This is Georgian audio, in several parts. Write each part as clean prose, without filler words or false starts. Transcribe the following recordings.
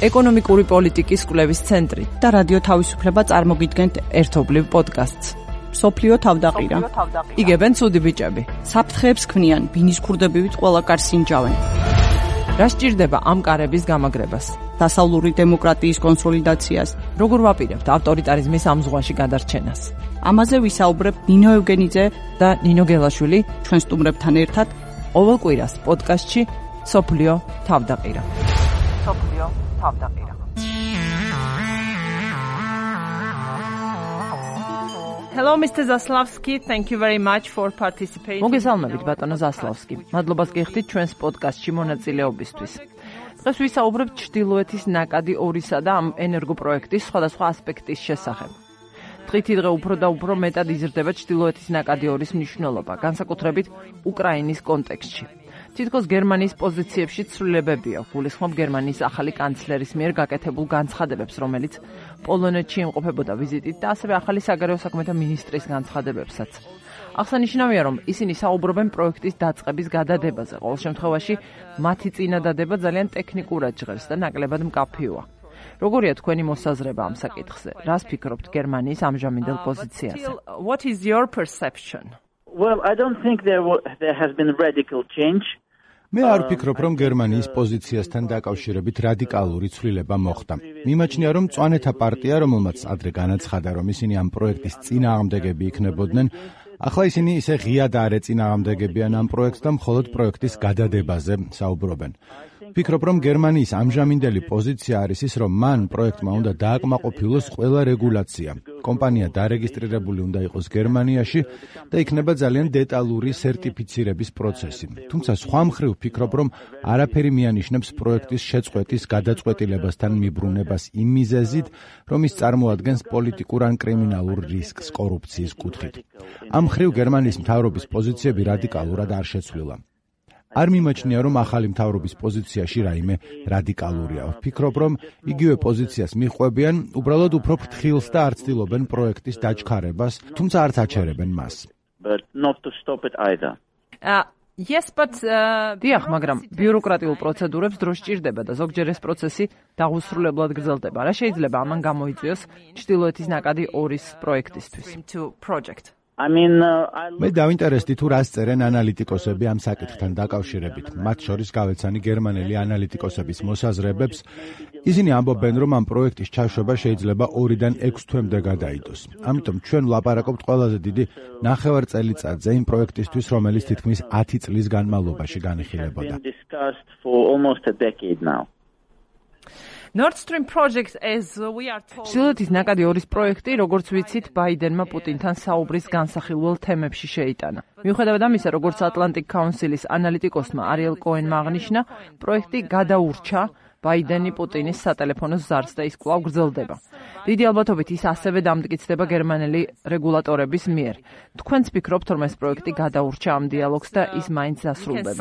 ეკონომიკური პოლიტიკის კვლევის ცენტრი და რადიო თავისუფლება წარმოგიდგენთ ერთობლივ პოდკასტს. სოფლიო თავდაყირა. იგებენ ცუდი ბიჭები. საფრთხეებს ქმნიან, ბინის ქურდებივით ყველა კარს ინჯავენ. რა სჭირდება ამ კარების გამაგრებას? დასავლური დემოკრატიის კონსოლიდაციას? როგორ ვაპირებთ ავტორიტარიზმის ამ ზღვაში გადარჩენას? ამაზე ვისაუბრებ ნინო ევგენიძე და ნინო გელაშვილი ჩვენ სტუმრებთან ერთად ყოველ კვირას პოდკასტში სოფლიო თავდაყირა. სოფლიო თავდაყირა. Hello Mr. Zaslavsky, thank you very much for participating. მოგესალმებით ბატონო ზასლავსკი. მადლობას გიხდით ჩვენს პოდკასტში მონაწილეობისთვის. დღეს ვისაუბრებთ ჩრდილოეთის ნაკადი 2-სა და ამ ენერგოპროექტის სხვადასხვა ასპექტის შესახებ. დღითიდღე უფრო და უფრო მეტად იზრდება ჩრდილოეთის ნაკადი 2-ის მნიშვნელობა, განსაკუთრებით უკრაინის კონტექსტში. თითქოს გერმანიის პოზიციებში ცვლილებებია. გულისხმობ გერმანიის ახალი კანცლერის მიერ გაკეთებულ განცხადებებს, რომელიც პოლონეთში იმყოფებოდა ვიზიტით და ასევე ახალი საგარეო საქმეთა მინისტრის განცხადებებსაც. აღსანიშნავია, რომ ისინი საუბრობენ პროექტის დაწყების გადადებაზე. ყოველ შემთხვევაში, მათი წინადადება ძალიან ტექნიკურად ჟღერს და ნაკლებად მკაფიოა. როგორია თქვენი მოსაზრება ამ საკითხზე? რას ფიქრობთ გერმანიის ამჟამინდელ პოზიციაზე? What is your perception? Well, I don't think there has been radical change. მე არ ვფიქრობ, რომ გერმანიის პოზიციასთან დაკავშირებით რადიკალური ცვლილება მოხდა. მიმაჩნია, რომ მწვანეთა პარტია, რომელმაც ადრე განაცხადა, რომ ისინი ამ პროექტის წინააღმდეგები იქნებოდნენ, ახლა ისინი ისე ღიად არ ეწინააღმდეგებიან ამ პროექტს და მხოლოდ პროექტის გადადებაზე საუბრობენ. ვფიქრობ, რომ გერმანიის ამჟამინდელი პოზიცია არის ის, რომ მან პროექტმა უნდა დააკმაყოფილოს ყველა რეგულაცია. კომპანია დარეგისტრირებული უნდა იყოს გერმანიაში და იქნება ძალიან დეტალური სერტიფიცირების პროცესი. თუმცა სხვა მხრივ ვფიქრობ, რომ არაფერი მიანიშნებს პროექტის შეწყვეტის გადაწყვეტილებასთან მიბრუნებას იმ მიზეზით, რომ ის წარმოადგენს პოლიტიკურ ან კრიმინალურ რისკს კორუფციის კუთხით. ამ მხრივ გერმანიის მთავრობის პოზიციები რადიკალურად არ შეცვლილა. არ მიმაჩნია, რომ ახალი მთავრობის პოზიციაში რაიმე რადიკალურია. ვფიქრობ, რომ იგივე პოზიციას მიჰყვებიან, უბრალოდ უფრო ფრთხილს და არ ცდილობენ პროექტის დაჩქარებას, თუმცა არც აჩერებენ მას. დიახ, მაგრამ ბიუროკრატიულ პროცედურებს დრო სჭირდება და ზოგჯერ ეს პროცესი დაღუსრულებლად გრძელდება. რა შეიძლება ამან გამოიწვიოს ჩრდილოეთის ნაკადი 2-ის პროექტისთვის? მე დავინტერესდი თუ რას წერენ ანალიტიკოსები ამ საკითხთან დაკავშირებით. მათ შორის გავეცანი გერმანელი ანალიტიკოსების მოსაზრებებს. ისინი ამბობენ, რომ ამ პროექტის ჩაშვება შეიძლება 2-დან 6 თვემდე გადაიდოს. ამიტომ ჩვენ ვლაპარაკობთ ყველაზე დიდი 9 წელიწადზე იმ პროექტისთვის, რომელიც თითქმის 10 წლის განმავლობაში განიხილებოდა. Nord Stream project as we are told. ჩრდილოეთის ნაკადი 2-ის პროექტი, როგორც ვიცით, ბაიდენმა პუტინთან საუბრის განსახილველ თემებში შეიტანა. მიუხედავად ამისა, როგორც Atlantic Council-ის ანალიტიკოსმა არიელ კოენმა აღნიშნა, პროექტი გადაურჩა ბაიდენი პუტინის სატელეფონო ზარს და ის კვლავ გრძელდება. დიდი ალბათობით ის ასევე დამტკიცდება გერმანელი რეგულატორების მიერ. თქვენც ფიქრობთ, რომ ეს პროექტი გადაურჩა ამ დიალოგს და ის მაინც დასრულდება?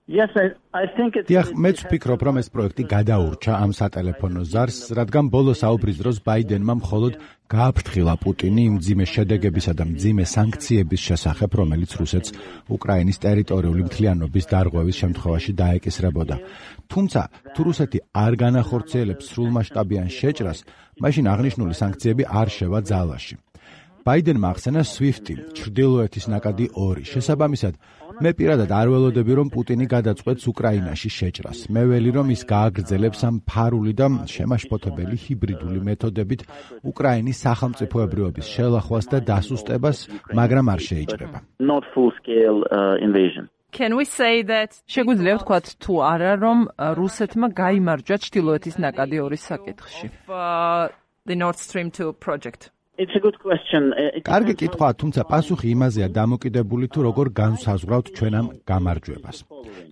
დიახ, მეც ვფიქრობ, რომ ეს პროექტი გადაურჩა ამ სატელეფონო ზარს, რადგან ბოლო საუბრის დროს ბაიდენმა მხოლოდ გააფრთხილა პუტინი იმ მძიმე შედეგებისა და მძიმე სანქციების შესახებ, რომელიც რუსეთს უკრაინის ტერიტორიული მთლიანობის დარღვევის შემთხვევაში დაეკისრებოდა. თუმცა, თუ რუსეთი არ განახორციელებს სრულმასშტაბიან შეჭრას, მაშინ აღნიშნული სანქციები არ შევა ძალაში. ბაიდენმა ახსენა SWIFT-ი, ჩრდილოეთის ნაკადი 2. შესაბამისად, მე პირადად არ ველოდები, რომ პუტინი გადაწყვეტს უკრაინაში შეჭრას. მე ველი, რომ ის გააგრძელებს ამ ფარული და შემაშფოთებელი ჰიბრიდული მეთოდებით უკრაინის სახელმწიფოებრიობის შელახვას და დასუსტებას, მაგრამ არ შეიჭრება. შეგვიძლია ვთქვათ თუ არა, რომ რუსეთმა გაიმარჯვა ჩრდილოეთის ნაკადი 2-ის საკითხში? The Nord Stream 2 project. It's a good question. კარგი კითხვაა, თუმცა პასუხი იმაზეა დამოკიდებული თუ როგორ განსაზღვრავთ ჩვენ ამ გამარჯვებას.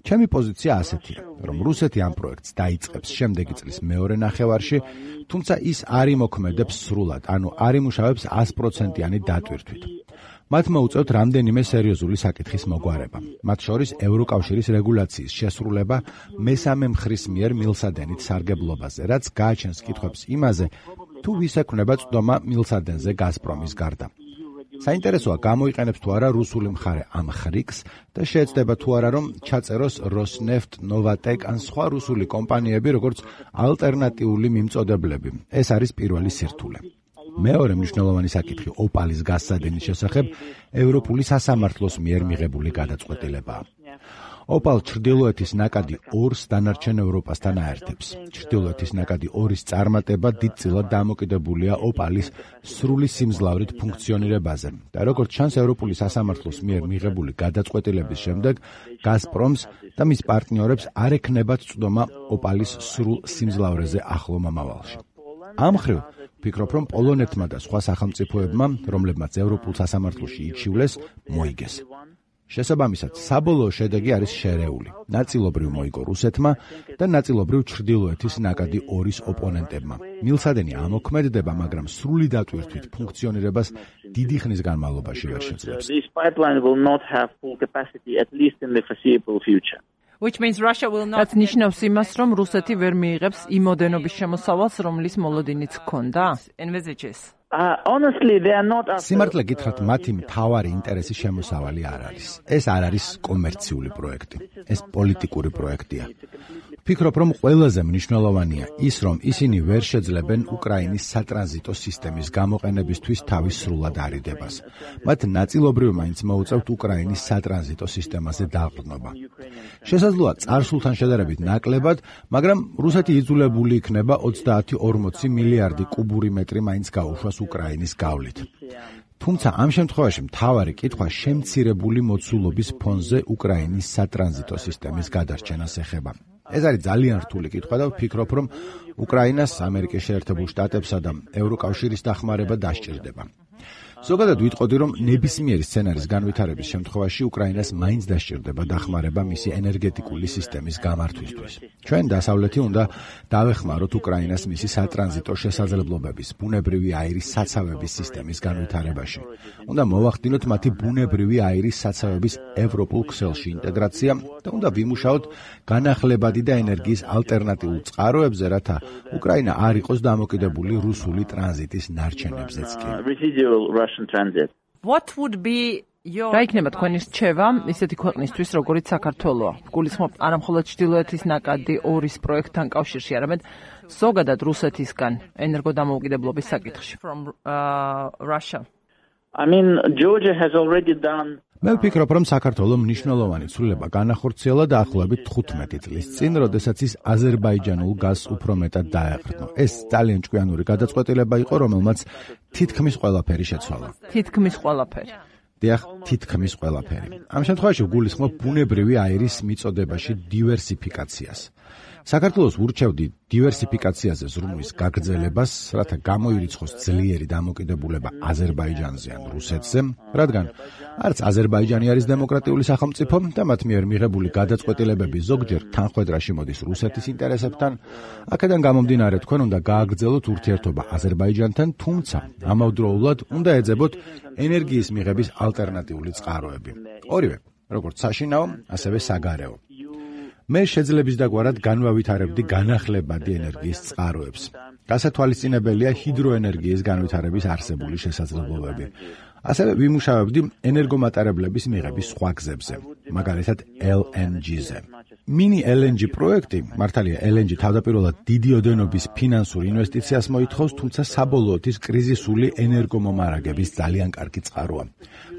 ჩემი პოზიცია ასეთია, რომ რუსეთი ამ პროექტს დაიწყებს შემდეგი წლის მეორე ნახევარში, თუმცა ის არ იმოქმედებს სრულად, ანუ არ იმუშავებს 100%-იანი დატვირთვით. მათ მოუწევთ რამდენიმე სერიოზული საკითხის მოგვარება. მათ შორის ევროკავშირის რეგულაციის შესრულება მესამე მხრის მიერ მილსადენით სარგებლობაზე, რაც გააჩენს კითხვებს იმაზე, თუ ვის ექნება წვდომა მილსადენზე გაზპრომის გარდა. საინტერესოა, გამოიყენებს თუ არა რუსული მხარე ამ ხრიკს და შეეცდება თუ არა რომ ჩაწეროს Rosneft, Novatek ან სხვა რუსული კომპანიები როგორც ალტერნატიული მიმწოდებლები. ეს არის პირველი სირთულე. მეორე მნიშვნელოვანი საკითხი ოპალის გასცადენის შესახებ ევროპული სასამართლოს მიერ მიღებული გადაწყვეტილებაა. ოპალ ჩრდილოეთის ნაკადი 2-ს დანარჩენ ევროპასთან აერთებს. ჩრდილოეთის ნაკადი 2-ის წარმატება დიდწილად დამოკიდებულია ოპალის სრული სიმძლავრით ფუნქციონირებაზე და როგორც ჩანს ევროპული სასამართლოს მიერ მიღებული გადაწყვეტილების შემდეგ გაზპრომს და მის პარტნიორებს არ ექნებათ წვდომა ოპალის სრულ სიმძლავრეზე ახლო მომავალში. ამ მხრივ ვფიქრობ, რომ პოლონეთმა და სხვა სახელმწიფოებმა, რომლებმაც ევროპულ სასამართლოში იჩივლეს, მოიგეს. შესაბამისად, საბოლოო შედეგი არის შერეული. ნაწილობრივ მოიგო რუსეთმა და ნაწილობრივ ჩრდილოეთის ნაკადი 2-ის ოპონენტებმა. მილსადენი ამოქმედდება, მაგრამ სრული დატვირთვით ფუნქციონირებას დიდი ხნის განმავლობაში ვერ შეძლებს. This pipeline will not have full capacity at least in the foreseeable future. Which means Russia will not. That's ნიშნავს იმას, რომ რუსეთი ვერ მიიღებს იმოდენობის შემოსავალს, რომლის მოლოდინიც ჰქონდა. Envisages. Honestly, they are not. სიმართლე გითხრათ, მათი მთავარი ინტერესი შემოსავალი არ არის. ეს არ არის კომერციული პროექტი. ეს პოლიტიკური პროექტია. ვფიქრობ, რომ ყველაზე მნიშვნელოვანია ის, რომ ისინი ვერ შეძლებენ უკრაინის სატრანზიტო სისტემის გამოყენებისთვის თავის სრულად არიდებას. მათ ნაწილობრივ მაინც მოუწევთ უკრაინის სატრანზიტო სისტემაზე დაყრდნობა. შესაძლოა წარსულთან შედარებით ნაკლებად, მაგრამ რუსეთი იძულებული იქნება 30-40 მილიარდი კუბური მეტრი მაინც გაუშვას უკრაინის გავლით. თუმცა ამ შემთხვევაში მთავარი კითხვა შემცირებული მოცულობის ფონზე უკრაინის სატრანზიტო სისტემის გადარჩენას ეხება. ეს არის ძალიან რთული კითხვა და ვფიქრობ, რომ უკრაინას ამერიკის შეერთებულ შტატებსა და ევროკავშირის დახმარება დასჭირდება. ზოგადად ვიტყოდი, რომ ნებისმიერი სცენარის განვითარების შემთხვევაში უკრაინას მაინც დასჭირდება დახმარება მისი ენერგეტიკული სისტემის გამართვისთვის. ჩვენ დასავლეთი უნდა დავეხმაროთ უკრაინას მისი სატრანზიტო შესაძლებლობების, ბუნებრივი აირის საცავების სისტემის განვითარებაში. უნდა მოვახდინოთ მათი ბუნებრივი აირის საცავების ევროპულ ქსელში ინტეგრაცია და უნდა ვიმუშაოთ განახლებადი და ენერგიის ალტერნატიულ წყაროებზე, რათა უკრაინა არ იყოს დამოკიდებული რუსული ტრანზიტის ნარჩენებზეც კი. What would be your რა იქნება თქვენი რჩევა ისეთი ქვეყნისთვის, როგორიც საქართველოა? გულისხმობ არა მხოლოდ ჩრდილოეთის ნაკადი 2-ის პროექტთან კავშირში, არამედ ზოგადად რუსეთისგან ენერგოდამოუკიდებლობის საკითხში. From Russia. I mean, Georgia has already done. მე ვფიქრობ, რომ საქართველოს მნიშვნელოვანი ცვლილება განახორციელა დაახლოებით 15 წლის წინ, როდესაც ის აზერბაიჯანულ გაზს უფრო მეტად დაეყრდნო. ეს ძალიან ჭკვიანური გადაწყვეტილება იყო, რომელმაც თითქმის ყველაფერი შეცვალა. თითქმის ყველაფერი. დიახ, თითქმის ყველაფერი. ამ შემთხვევაში ვგულისხმობ ბუნებრივი აირის მიწოდებაში დივერსიფიკაციას. საქართველოს ურჩევდი დივერსიფიკაციაზე ზრუნვის გაგრძელებას, რათა გამოირიცხოს ძლიერი დამოკიდებულება აზერბაიჯანზე ან რუსეთზე, რადგან არც აზერბაიჯანი არის დემოკრატიული სახელმწიფო და მათ მიერ მიღებული გადაწყვეტილებები ზოგჯერ თანხვედრაში მოდის რუსეთის ინტერესებთან. აქედან გამომდინარე, თქვენ უნდა გააგრძელოთ ურთიერთობა აზერბაიჯანთან, თუმცა ამავდროულად უნდა ეძებოთ ენერგიის მიღების ალტერნატიული წყაროები. ორივე, როგორც საშინაო, ასევე საგარეო. მე შეძლების დაგვარად განვავითარებდი განახლებადი ენერგიის წყაროებს. გასათვალისწინებელია ჰიდროენერგიის განვითარების არსებული შესაძლებლობები. ასევე ვიმუშავებდი ენერგომატარებლების მიღების სხვა გზებზე, მაგალითად LNG-ზე. Mini LNG პროექტი, მართალია LNG თავდაპირველად დიდი ოდენობის ფინანსურ ინვესტიციას მოითხოვს, თუმცა საბოლოოდ ის კრიზისული ენერგომომარაგების ძალიან კარგი წყაროა.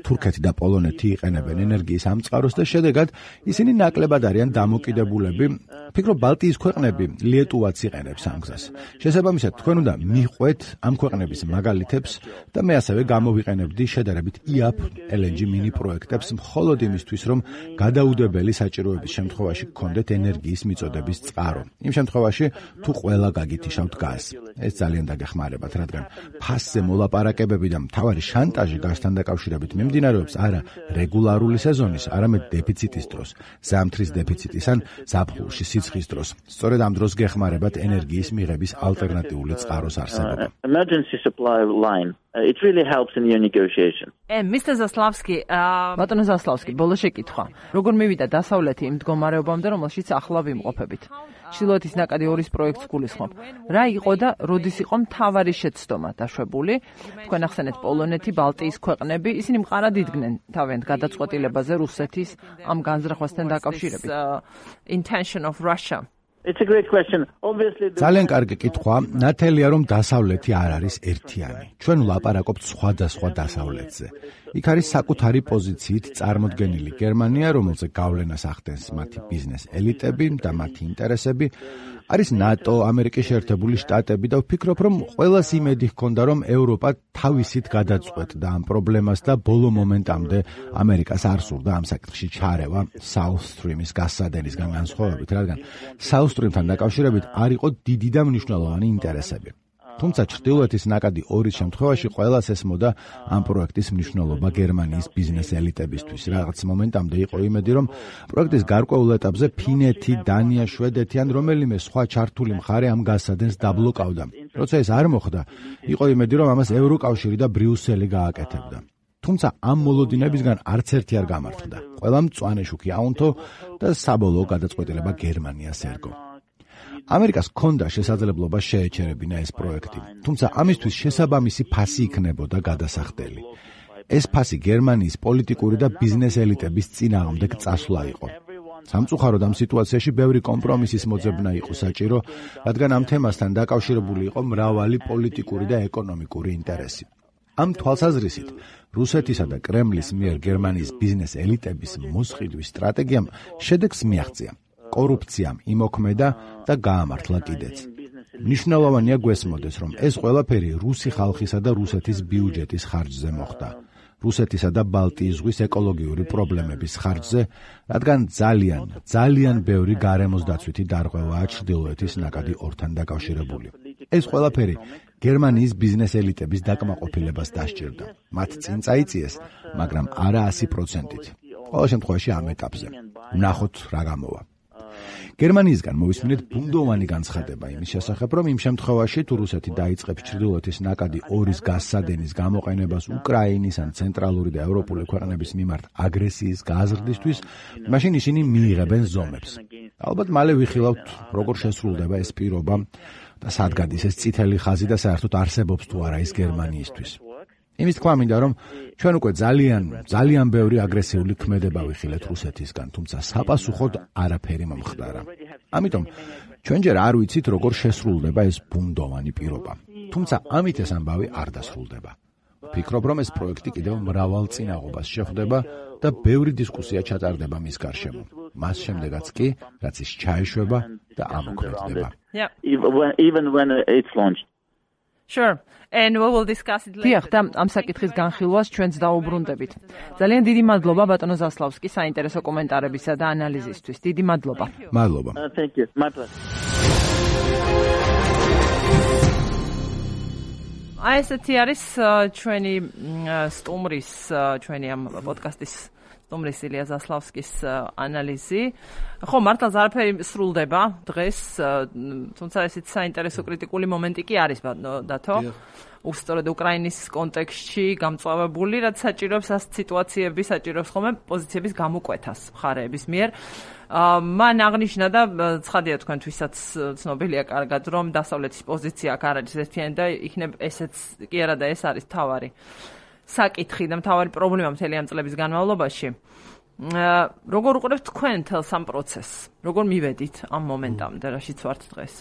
თურქეთი და პოლონეთი იყენებენ ენერგიის ამ წყაროს და შედეგად ისინი ნაკლებად არიან დამოკიდებულები. ვფიქრობ, ბალტიის ქვეყნები ლიეტუვაც იყენებს ამ გზას. შესაბამისად, თქვენ უნდა მიყვეთ ამ ქვეყნების მაგალითებს და მე ასევე გამოვიყენებდი შედარებით IAP LNG mini პროექტებს მხოლოდ იმისთვის, რომ გადაუდებელი საჭიროების შემთხვევაში გქონდეთ ენერგიის მიწოდების წყარო. იმ შემთხვევაში, თუ ყველა გაგითიშავთ გაზს. ეს ძალიან დაგეხმარებათ, რადგან ფასზე მოლაპარაკებები და მთავარი შანტაჟი გაზთან დაკავშირებით მიმდინარეობს არა რეგულარული სეზონის, არამედ დეფიციტის დროს, ზამთრის დეფიციტის ან ზაფხულში სიცხის დროს. სწორედ ამ დროს გეხმარებათ ენერგიის მიღების ალტერნატიული წყაროს არსებობა. Emergency supply line It really helps in your negotiations. Mr. Zaslavsky, ბატონო Zaslavsky, ბოლო შეკითხვა. როგორ მივიდა დასავლეთი იმ მდგომარეობამდე, რომელშიც ახლა ვიმყოფებით? ჩრდილოეთის ნაკადი 2-ის პროექტს გულისხმობ. რა იყო და როდის იყო მთავარი შეცდომა დაშვებული? თქვენ ახსენეთ პოლონეთი, ბალტიის ქვეყნები, ისინი მყარად იდგნენ თავიანთ გადაწყვეტილებაზე რუსეთის ამ განზრახვასთან დაკავშირებით. Intention of Russia. It's a great question. Obviously ძალიან კარგი კითხვა. ნათელია რომ დასავლეთი არ არის ერთიანი. ჩვენ ვლაპარაკობთ სხვადასხვა დასავლეთზე. იქ არის საკუთარი პოზიციით წარმოდგენილი გერმანია, რომელზე გავლენას ახდენს მათი ბიზნეს ელიტები და მათი ინტერესები. არის ნატო, ამერიკის შეერთებული შტატები და ვფიქრობ, რომ ყველას იმედი ჰქონდა, რომ ევროპა თავისით გადაწყვეტდა ამ პრობლემას და ბოლო მომენტამდე ამერიკას არ სურდა ამ საკითხში ჩარევა South Stream-ის გასადენისგან განსხვავებით, რადგან South Stream-თან დაკავშირებით არ იყო დიდი და მნიშვნელოვანი ინტერესები. თუმცა ჩრდილოეთის ნაკადი 2-ის შემთხვევაში ყველას ესმოდა ამ პროექტის მნიშვნელობა გერმანიის ბიზნეს ელიტებისთვის. რაღაც მომენტამდე იყო იმედი, რომ პროექტის გარკვეულ ეტაპზე ფინეთი, დანია, შვედეთი ან რომელიმე სხვა ჩართული მხარე ამ გასადენს დაბლოკავდა. როცა ეს არ მოხდა, იყო იმედი, რომ ამას ევროკავშირი და ბრიუსელი გააკეთებდა. თუმცა ამ მოლოდინებისგან არც ერთი არ გამართლდა. ყველა მწვანე შუქი აუნთო და საბოლოო გადაწყვეტილება გერმანიას ერგო. ამერიკას ჰქონდა შესაძლებლობა შეეჩერებინა ეს პროექტი, თუმცა ამისთვის შესაბამისი ფასი იქნებოდა გადასახდელი. ეს ფასი გერმანიის პოლიტიკური და ბიზნეს ელიტების წინააღმდეგ წასვლა იყო. სამწუხაროდ ამ სიტუაციაში ბევრი კომპრომისის მოძებნა იყო საჭირო, რადგან ამ თემასთან დაკავშირებული იყო მრავალი პოლიტიკური და ეკონომიკური ინტერესი. ამ თვალსაზრისით, რუსეთისა და კრემლის მიერ გერმანიის ბიზნეს ელიტების მოსყიდვის სტრატეგიამ შედეგს მიაღწია. კორუფციამ იმოქმედა და გაამართლა კიდეც. მნიშვნელოვანია გვესმოდეს, რომ ეს ყველაფერი რუსი ხალხისა და რუსეთის ბიუჯეტის ხარჯზე მოხდა. რუსეთისა და ბალტიის ზღვის ეკოლოგიური პრობლემების ხარჯზე, რადგან ძალიან ბევრი გარემოს დაცვითი დარღვევაა ჩრდილოეთის ნაკადი 2-თან დაკავშირებული. ეს ყველაფერი გერმანიის ბიზნეს ელიტების დაკმაყოფილებას დასჭირდა. მათ წინ წაიწიეს, მაგრამ არა 100%-ით. ყოველ შემთხვევაში ამ ეტაპზე. ვნახოთ რა გამოვა. გერმანიისგან მოვისმინეთ ბუნდოვანი განცხადება იმის შესახებ, რომ იმ შემთხვევაში თუ რუსეთი დაიწყებს ჩრდილოეთის ნაკადი 2-ის გასადენის გამოყენებას უკრაინის ან ცენტრალური და ევროპული ქვეყნების მიმართ აგრესიის გაზრდისთვის, მაშინ ისინი მიიღებენ ზომებს. ალბათ მალე ვიხილავთ, როგორ შესრულდება ეს პირობა და სად გადის ეს წითელი ხაზი და საერთოდ არსებობს თუ არა ის გერმანიისთვის. იმის თქვა მინდა, რომ ჩვენ უკვე ძალიან ბევრი აგრესიული ქმედება ვიხილეთ რუსეთისგან, თუმცა საპასუხოდ არაფერი მომხდარა. ამიტომ ჩვენ ჯერ არ ვიცით, როგორ შესრულდება ეს ბუნდოვანი პირობა. თუმცა ამით ეს ამბავი არ დასრულდება. ვფიქრობ, რომ ეს პროექტი კიდევ მრავალ წინაღობას შეხვდება და ბევრი დისკუსია ჩატარდება მის გარშემო. მას შემდეგაც კი, რაც ის ჩაეშვება და ამოქმედდება. Even when it's launched. Sure. And we will discuss it later. და ამ საკითხის განხილვას ჩვენც დაუბრუნდებით. ძალიან დიდი მადლობა ბატონო Zaslavsky საინტერესო კომენტარებისა და ანალიზისთვის. დიდი მადლობა. მადლობა. Thank you. My pleasure. აი ესეთი არის ჩვენი სტუმრის, ჩვენი ამ პოდკასტის სტუმრის ილია Zaslavskis ანალიზი. ხო, მართლაც არაფერი სრულდება დღეს, თუმცა ესეც საინტერესო კრიტიკული მომენტი კი არის დათო. უსწორედ უკრაინის კონტექსტში გამწვავებული, რაც საჭიროებს ამ სიტუაციების, საჭიროებს ხოლმე პოზიციების გამოკვეთას მხარეების მიერ. მან აღნიშნა და ცხადია თქვენთვისაც ცნობილია კარგად, რომ დასავლეთის პოზიცია აქ არ არის ერთიანი და იქნებ ესეც კი არა და ეს არის თავარი საკითხი და მთავარი პრობლემა მთელი ამ წლების განმავლობაში. როგორ უყურებთ თქვენ მთელს ამ პროცესს? როგორ მივედით ამ მომენტამდე, რაშიც ვართ დღეს?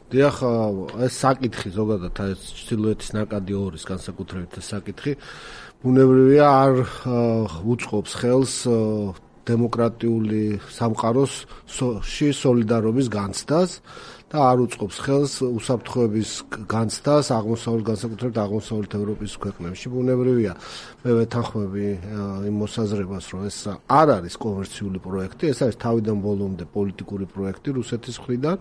დიახ, ეს საკითხი ზოგადად ეს ჩრდილოეთის ნაკადი 2-ის განსაკუთრებით ეს საკითხი ბუნებრივია არ უწყობს ხელს დემოკრატიული სამყაროს სოლიდარობის განცდას და არ უწყობს ხელს უსაფრთხოების განცდას აღმოსავლეთ განსაკუთრებით აღმოსავლეთ ევროპის ქვეყნებში. ბუნებრივია, მე ვეთანხმები იმ მოსაზრებას, რომ ეს არ არის კომერციული პროექტი, ეს არის თავიდან ბოლომდე პოლიტიკური პროექტი რუსეთის მხრიდან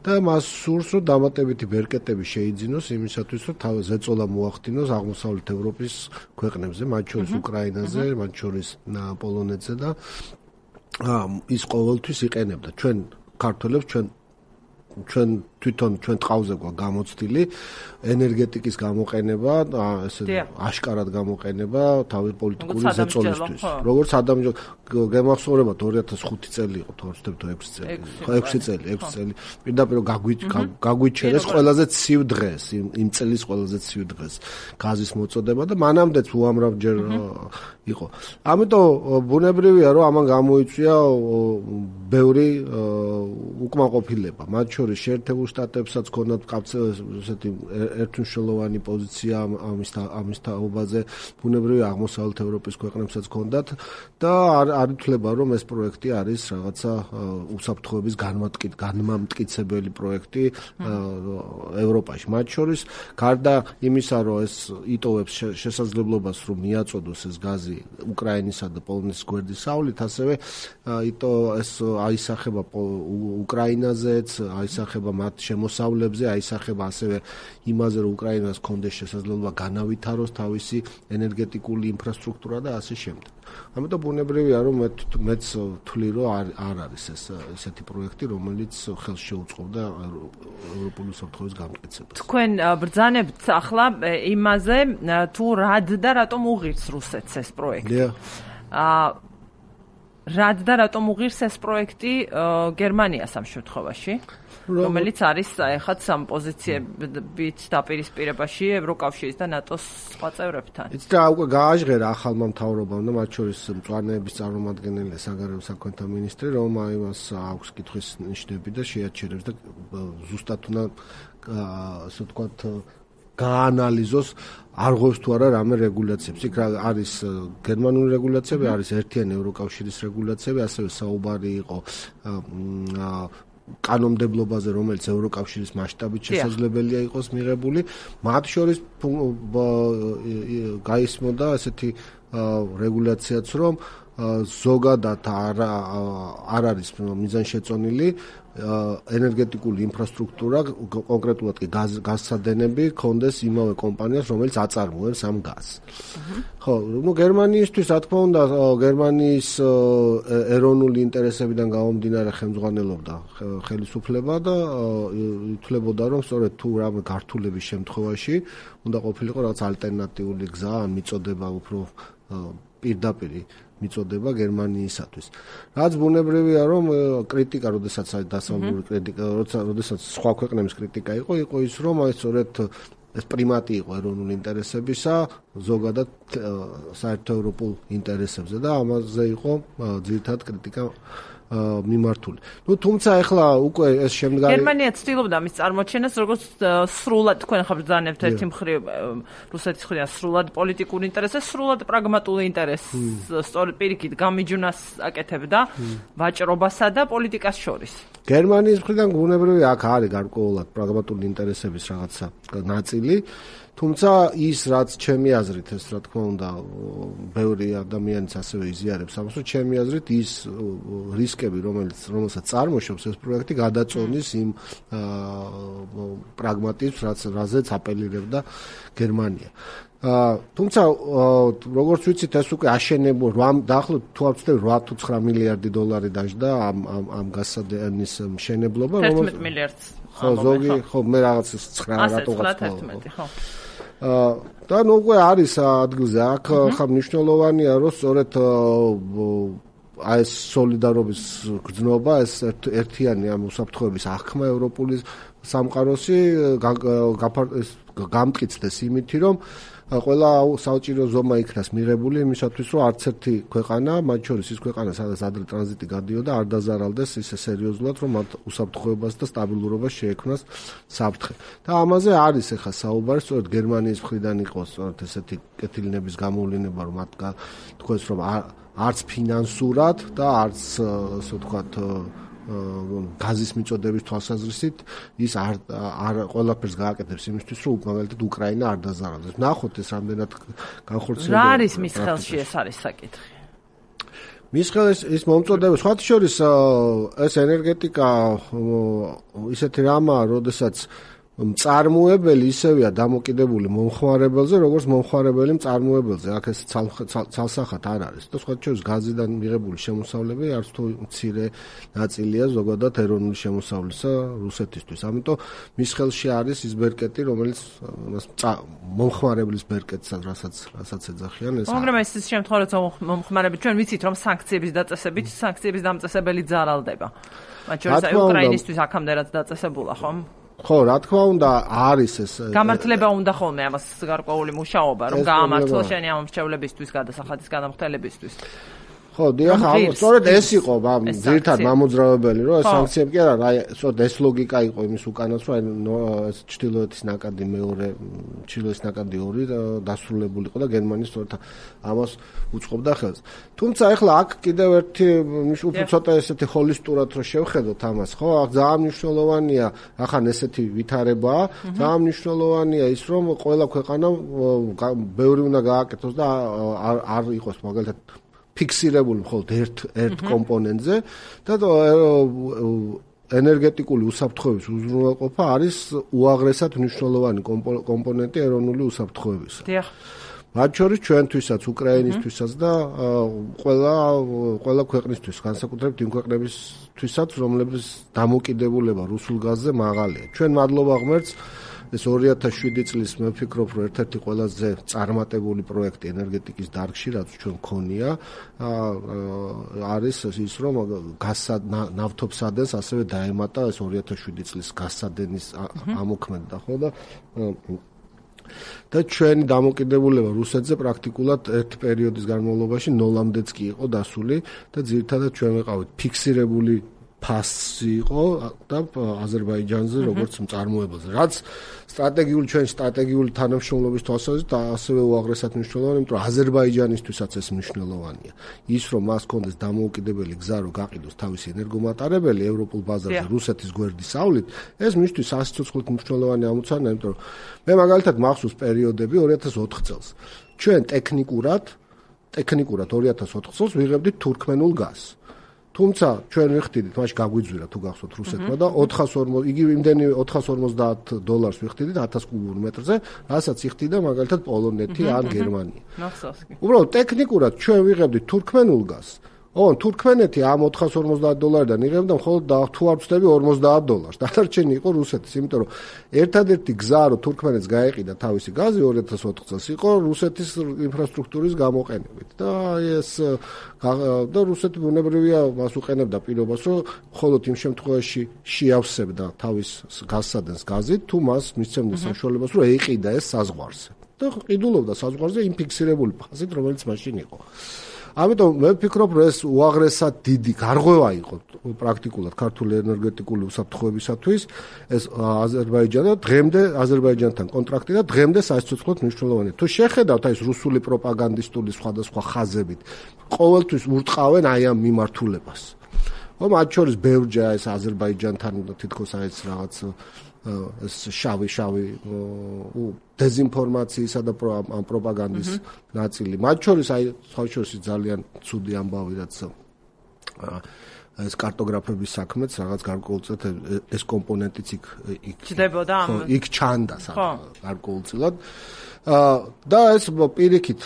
და მას სურს, რომ დამატებითი ბერკეტები შეიძინოს იმისათვის, რომ ზეწოლა მოახდინოს აღმოსავლეთ ევროპის ქვეყნებზე, მათ შორის უკრაინაზე, მათ შორის პოლონეთზე და ის ყოველთვის იყენებდა ჩვენ ქართველებს ჩვენ თვითონ ჩვენ ტყავზე გვაქვს გამოცდილი ენერგეტიკის გამოყენება, ესე აშკარად გამოყენება თავის პოლიტიკური ზეწოლისთვის. როგორც ადამიანო გემახსოვრებათ 2005 წელი იყო, თუ არ ვცდები 6 წელი. პირდაპირ გაგვიჩერეს ყველაზე ცივ დღეს, იმ წლის ყველაზე ცივ დღეს გაზის მოწოდება და მანამდეც უამრავჯერ იყო. ამიტომ ბუნებრივია, რომ ამან გამოიწვია ბევრი უკმაყოფილება. მათ შორის შეერთებულ შტატებსაც ჰქონდათ ესეთი ერთმნიშვნელოვანი პოზიცია ამის თაობაზე, ბუნებრივია აღმოსავლეთ ევროპის ქვეყნებსაც ჰქონდათ და არ ითვლება, რომ ეს პროექტი არის რაღაცა უსაფრთხოების განმამტკიცებელი პროექტი ევროპაში. მათ შორის გარდა იმისა, რომ ეს იტოვებს შესაძლებლობას, რომ მიაწოდოს ეს გაზი უკრაინისა და პოლონეთის გვერდის სავლით, ასევე ეს აისახება უკრაინაზეც, აისახება მათ შემოსავლებზე, აისახება ასევე იმაზე, რომ უკრაინას ჰქონდეს შესაძლებლობა განავითაროს თავისი ენერგეტიკული ინფრასტრუქტურა და ასე შემდეგ. ამიტომ ბუნებრივია, რომ მეც ვთვლი, რომ არ არის ესეთი პროექტი, რომელიც ხელს შეუწყობდა ევროპული უსაფრთხოების გამტკიცებას. თქვენ ბრძანებთ ახლა იმაზე, თუ რად და რატომ უღირს რუსეთს ეს პროექტი. რად და რატომ უღირს ეს პროექტი გერმანიას ამ შემთხვევაში? რომელიც არის ეხაც ამ პოზიციებით დაპირისპირებაში ევროკავშირის და ნატოს სხვა წევრებთან. იცით რა, უკვე გააჟღერა ახალმა მთავრობამ და მათ შორის მწვანეების წარმომადგენელია საგარეო საქმეთა მინისტრი, რომ იმას აქვს კითხვის ნიშნები და შეაჩერებს და ზუსტად უნდა ასე ვთქვათ გაანალიზოს არღვევს თუ არა რამე რეგულაციებს. იქ არის გერმანული რეგულაციები, არის ერთიანი ევროკავშირის რეგულაციები, ასევე საუბარი იყო კანონმდებლობაზე, რომელიც ევროკავშირის მასშტაბით შესაძლებელია იყოს მიღებული. მათ შორის გაისმოდა ესეთი რეგულაციაც, რომ ზოგადად არ არის მიზანშეწონილი ენერგეტიკული ინფრასტრუქტურა, კონკრეტულად კი გაზსადენები კონდეს იმავე კომპანიას, რომელიც აწარმოებს ამ გაზს. ხო, გერმანიისთვის, რა თქმა უნდა, გერმანიის ეროვნული ინტერესებიდან გამომდინარე ხელმძღვანელობდა ხელისუფლება და ითვლებოდა, რომ სწორედ თუ რამე გართულების შემთხვევაში უნდა ყოფილიყო რაღაც ალტერნატიული გზა, ან მიწოდება უფრო პირდაპირ მიწოდება გერმანიისათვის. რაც ბუნებრივია, რომ კრიტიკა, როდესაც დასავლური კრიტიკა, როდესაც სხვა ქვეყნების კრიტიკა იყო ის, რომ აი სწორედ ეს პრიმატი იყო ეროვნული ინტერესებისა ზოგადად საერთო ევროპულ ინტერესებზე და ამაზე იყო ძირითადად კრიტიკა მიმართული. თუმცა ახლა უკვე ეს შემდგარი გერმანია ცდილობდა ამის წარმოჩენას, როგორც სრულად თქვენ ხარ ბრძანებთ ერთი მხრივ რუსეთის მხრიდან სრულად პოლიტიკური ინტერესი, სრულად პრაგმატული ინტერესი, სწორედ პირიქით გამიჯვნას აკეთებდა ვაჭრობასა და პოლიტიკას შორის. გერმანიის მხრიდან ბუნებრივია აქ არის გარკვეულად პრაგმატული ინტერესების რაღაცა ნაწილი. თუმცა ის, რაც ჩემი აზრით, ეს რა თქმა უნდა, ბევრი ადამიანიც ასევე იზიარებს ამას, რომ ჩემი აზრით ის რისკები, რომელსაც წარმოშობს ეს პროექტი, გადაწონის იმ პრაგმატიზმს, რაზეც აპელირებდა გერმანია. თუმცა როგორც ვიცით, ეს უკვე აშენებულ დაახლოებით თუ არ ვცდები 8 თუ 9 მილიარდი დოლარი დაждდა ამ გაზსადენის მშენებლობა, 11 მილიარდს. ხო, ზოგი, ხო, მე რაღაც 9 რატოღაც ხო. და ნუ უკვე არის ადგილზე. აქ ხა მნიშვნელოვანია, რომ სწორედ აი ეს სოლიდარობის გრძნობა, ეს ერთიანი ამ უსაფრთხოების აღქმა ევროპული სამყაროსი გამტკიცდეს იმითი, რომ ყველა საჭირო ზომა იქნას მიღებული იმისათვის, რომ არც ერთი ქვეყანა, მათ შორის ის ქვეყანა, სადაც ადრე ტრანზიტი გადიოდა, არ დაზარალდეს ისე სერიოზულად, რომ მათ უსაფრთხოებას და სტაბილურობას შეექმნას საფრთხე. და ამაზე არის ახლა საუბარი, სწორედ გერმანიის მხრიდან იყოს სწორედ ესეთი კეთილინების გამოვლენა, რომ მათ თქვენს, რომ არც ფინანსურად და არც ასე ვთქვათ გაზის მიწოდების თვალსაზრისით ის არ ყველაფერს გააკეთებს იმისთვის, რომ მაგალითად უკრაინა არ დაზარალდეს. ნახოთ ეს რამდენად განხორციელდება. რა არის მის ხელში ეს არის საკითხი? მის ხელში ის მომწოდება, სხვათა შორის ეს ენერგეტიკა ისეთი რამაა, როდესაც მწარმოებელი ისევია დამოკიდებული მომხმარებელზე, როგორც მომხმარებელი მწარმოებელზე. აქ ეს ცალსახად არ არის. და სხვა შორის გაზიდან მიღებული შემოსავლები არც თუ მცირე ნაწილია ზოგადად ეროვნული შემოსავლისა რუსეთისთვის. ამიტომ მის ხელში არის ის ბერკეტი, რომელიც მომხმარებლის ბერკეტსაც, რასაც ეძახიან ეს. მაგრამ ეს შემთხვევა როცა მომხმარებელი ჩვენ ვიცით რომ სანქციების დაწესებით სანქციების დამწესებელი ძალალდება. მათ შორის აი უკრაინისთვის აქამდე რაც დაწესებულა, ხომ? ხო, რა თქმა უნდა, არის ეს გამართლება უნდა ხოლმე ამას გარკვეული მუშაობა, რომ გაამართლოს შენი ამ მრჩევლებისთვის, გადასახადის გადამხდელებისთვის. ხო, დიახ, სწორედ ეს იყო ძირითადად მამოძრავებელი, რომ ეს სანქციები კი არა, სწორედ ეს ლოგიკა იყო იმის უკანაც, რომ ეს ჩრდილოეთის ნაკადი მეორე, ჩრდილოეთის ნაკადი 2 დასრულებული იყო და გერმანია სწორედ ამას უწყობდა ხელს. თუმცა ახლა აქ კიდევ ერთი უფრო ცოტა ესეთი ჰოლისტურად რო შევხედოთ ამას, ხო, აქ ძალიან მნიშვნელოვანია, ახან ესეთი ვითარებაა, ძალიან მნიშვნელოვანია ის, რომ ყველა ქვეყანამ ბევრი უნდა გააკეთოს და არ იყოს მაგალითად ფიქსირებული მხოლოდ ერთ კომპონენტზე და ენერგეტიკული უსაფრთხოების უზრუნველყოფა არის უაღრესად მნიშვნელოვანი კომპონენტი ეროვნული უსაფრთხოებისა. დიახ. მათ შორის ჩვენთვისაც, უკრაინისთვისაც და ყველა ქვეყნისთვის, განსაკუთრებით იმ ქვეყნებისთვისაც, რომლებიც დამოკიდებულება რუსულ გაზზე მაღალია. ჩვენ მადლობა ღმერთს ეს 2007 წლის მე ვფიქრობ, რომ ერთ-ერთი ყველაზე წარმატებული პროექტი ენერგეტიკის დარგში, რაც ჩვენ მქონია, არის ის, რომ ნავთობსადენს ასევე დაემატა ეს 2007 წლის გაზსადენის ამოქმედა, ხო და ჩვენი დამოკიდებულება რუსეთზე პრაქტიკულად ერთ პერიოდის განმავლობაში ნოლამდეც კი იყო დასული და ძირითადად ჩვენ ვიყავით ფიქსირებული ფასი იყო და აზერბაიჯანზე როგორც მწარმოებელზე, რაც ჩვენი სტრატეგიული თანამშრომლობის თვალსაზრისით ასევე უაღრესად მნიშვნელოვანია, იმიტომ რომ აზერბაიჯანისთვისაც ეს მნიშვნელოვანია. ის რომ მას ჰქონდეს დამოუკიდებელი გზა, რომ გაყიდოს თავისი ენერგომატარებელი ევროპულ ბაზარზე რუსეთის გვერდისავლით, ეს მისთვის სასიცოცხლოდ მნიშვნელოვანი ამოცანა, იმიტომ რომ მე მაგალითად მახსოვს პერიოდები 2004 წელს. ჩვენ ტექნიკურად 2004 წელს ვიღებდით თურქმენულ გაზს. თუმცა ჩვენ ვიხდიდით, მაშინ გაგვიძვირა თუ გახსოვთ რუსეთმა და 440 იგივე იმდენი $450 ვიხდიდით 1000 კუბურ მეტრზე, რასაც იხდიდა მაგალითად პოლონეთი ან გერმანია. მახსოვს კი. უბრალოდ ტექნიკურად ჩვენ ვიღებდით თურქმენულ გაზს. თურქმენეთი ამ $450-დან იღებდა მხოლოდ თუ არ ვცდები $50. დანარჩენი იყო რუსეთის, იმიტომ რომ ერთადერთი გზა რომ თურქმენეთს გაეყიდა თავისი გაზი 2004 წელს იყო რუსეთის ინფრასტრუქტურის გამოყენებით და ეს და რუსეთი ბუნებრივია მას უყენებდა პირობას, რომ მხოლოდ იმ შემთხვევაში შეავსებდა თავის გაზსადენს გაზით, თუ მას მისცემდა საშუალებას, რომ ეყიდა ეს საზღვარზე. და ყიდულობდა საზღვარზე იმ ფიქსირებული ფაზით, რომელიც მაშინ იყო. ამიტომ მე ვფიქრობ, რომ ეს უაღრესად დიდი გარღვევა იყო პრაქტიკულად ქართული ენერგეტიკული უსაფრთხოებისათვის, ეს აზერბაიჯანთან კონტრაქტი და დღემდე სასიცოცხლოდ მნიშვნელოვანია. თუ შეხედავთ აი ეს რუსული პროპაგანდისტული სხვადასხვა ხაზებით, ყოველთვის ურტყავენ აი ამ მიმართულებას. მათ შორის ბევრჯერ ეს აზერბაიჯანთან თითქოს აი ეს რაღაც ეს შავი დეზინფორმაციისა და ამ პროპაგანდის ნაწილი. მათ შორის აი სხვაშორის ძალიან ცუდი ამბავი, რაც ეს კარტოგრაფების საქმეც რაღაც გარკვეულწილად ეს კომპონენტიც იქ ჩანდა გარკვეულწილად. და ეს პირიქით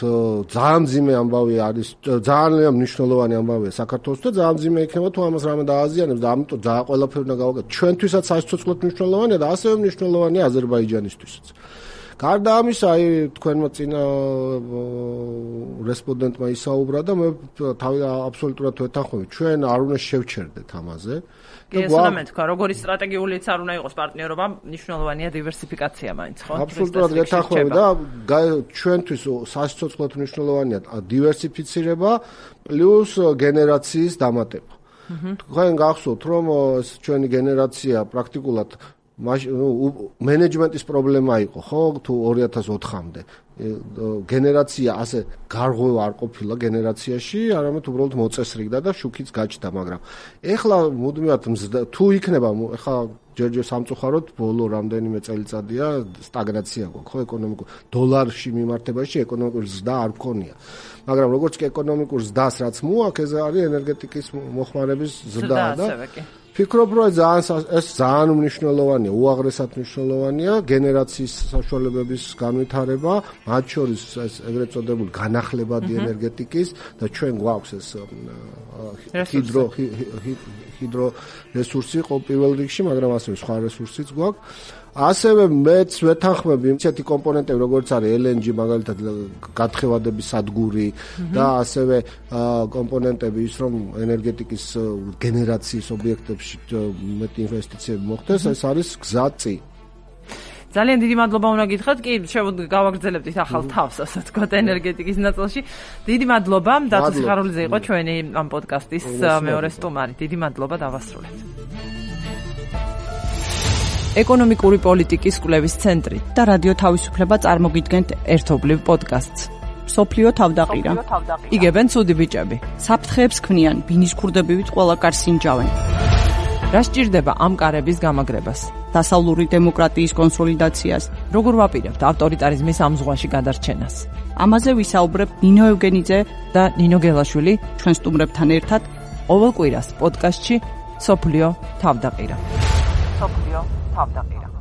ძალიან მძიმე ამბავი არის, ძალიან მნიშვნელოვანი ამბავია საქართველოს და ძალიან მძიმე იქნება თუ ამას რამე დააზიანებს და ამიტომ ძალიან ყველაფერი უნდა გავაკეთოთ. ჩვენთვისაც სასიცოცხლოდ მნიშვნელოვანია და ასევე მნიშვნელოვანია აზერბაიჯანისთვისაც. გარდა ამისა, აი თქვენმა წინა რესპონდენტმა ისაუბრა და მე თავი აბსოლუტურად ვეთანხმები. ჩვენ არ უნდა შევჩერდეთ ამაზე. ეს უნდა მეთქვა, როგორი სტრატეგიულიც არ უნდა იყოს პარტნიორობა, მნიშვნელოვანია დივერსიფიკაცია მაინც, ხო? აბსოლუტურად ვეთანხმები და ჩვენთვის სასიცოცხლოდ მნიშვნელოვანია დივერსიფიცირება პლუს გენერაციის დამატება. თქვენ გახსოვთ, რომ ჩვენი გენერაცია პრაქტიკულად მენეჯმენტის პრობლემა იყო, ხო, თუ 2004-მდე. გენერაცია ასე გარღვევა არ ყოფილა გენერაციაში, არამედ უბრალოდ მოწესრიგდა და შუქიც გაჩნდა, მაგრამ ეხლა მუდმივად თუ იქნება, ეხლა ჯერჯერ სამწუხაროდ ბოლო რამდენიმე წელიწადია სტაგნაცია გვაქვს, ხო, ეკონომიკურ დოლარში მიმართებაში ეკონომიკური ზრდა არ გქონია. მაგრამ როგორც კი ეკონომიკურ ზრდას რაც მოაქვს, ეს არის ენერგეტიკის მოხმარების ზრდა და ფიქრობ, რომ ეს ძალიან მნიშვნელოვანია, უაღრესად მნიშვნელოვანია გენერაციის საშუალებების განვითარება, მათ შორის ეს ეგრეთ წოდებული განახლებადი ენერგეტიკის და ჩვენ გვაქვს ეს ჰიდრო რესურსი ყოველ რიგში, მაგრამ ასევე სხვა რესურსიც გვაქვს. ასევე მეც ვეთანხმები ისეთი კომპონენტები, როგორც არის LNG, მაგალითად გათხევადების სადგური და ასევე კომპონენტები ის, რომ ენერგეტიკის გენერაციის ობიექტებში მეტი ინვესტიციები მოხდეს, ეს არის გზაწი. ძალიან დიდი მადლობა უნდა გითხრათ, კი, გავაგრძელებთ ახალ თავს, ასე ვთქვათ, ენერგეტიკის ნაწილში. დიდი მადლობა, დათო სიხარულიძე იყო ჩვენი ამ პოდკასტის მეორე სტუმარი. დიდი მადლობა, დავასრულეთ. ეკონომიკური პოლიტიკის კვლევის ცენტრი და რადიო თავისუფლება წარმოგიდგენთ ერთობლივ პოდკასტს. სოფლიო თავდაყირა. იგებენ ცუდი ბიჭები. საფრთხეებს ქმნიან, ბინის ქურდებივით ყველა კარს ინჯავენ. რა სჭირდება ამ კარების გამაგრებას? დასავლური დემოკრატიის კონსოლიდაციას. როგორ ვაპირებთ ავტორიტარიზმის ამ ზღვაში გადარჩენას? ამაზე ვისაუბრებთ ნინო ევგენიძე და ნინო გელაშვილი ჩვენ სტუმრებთან ერთად ყოველ კვირას პოდკასტში სოფლიო თავდაყირა. სოფლიო თავდაყირა.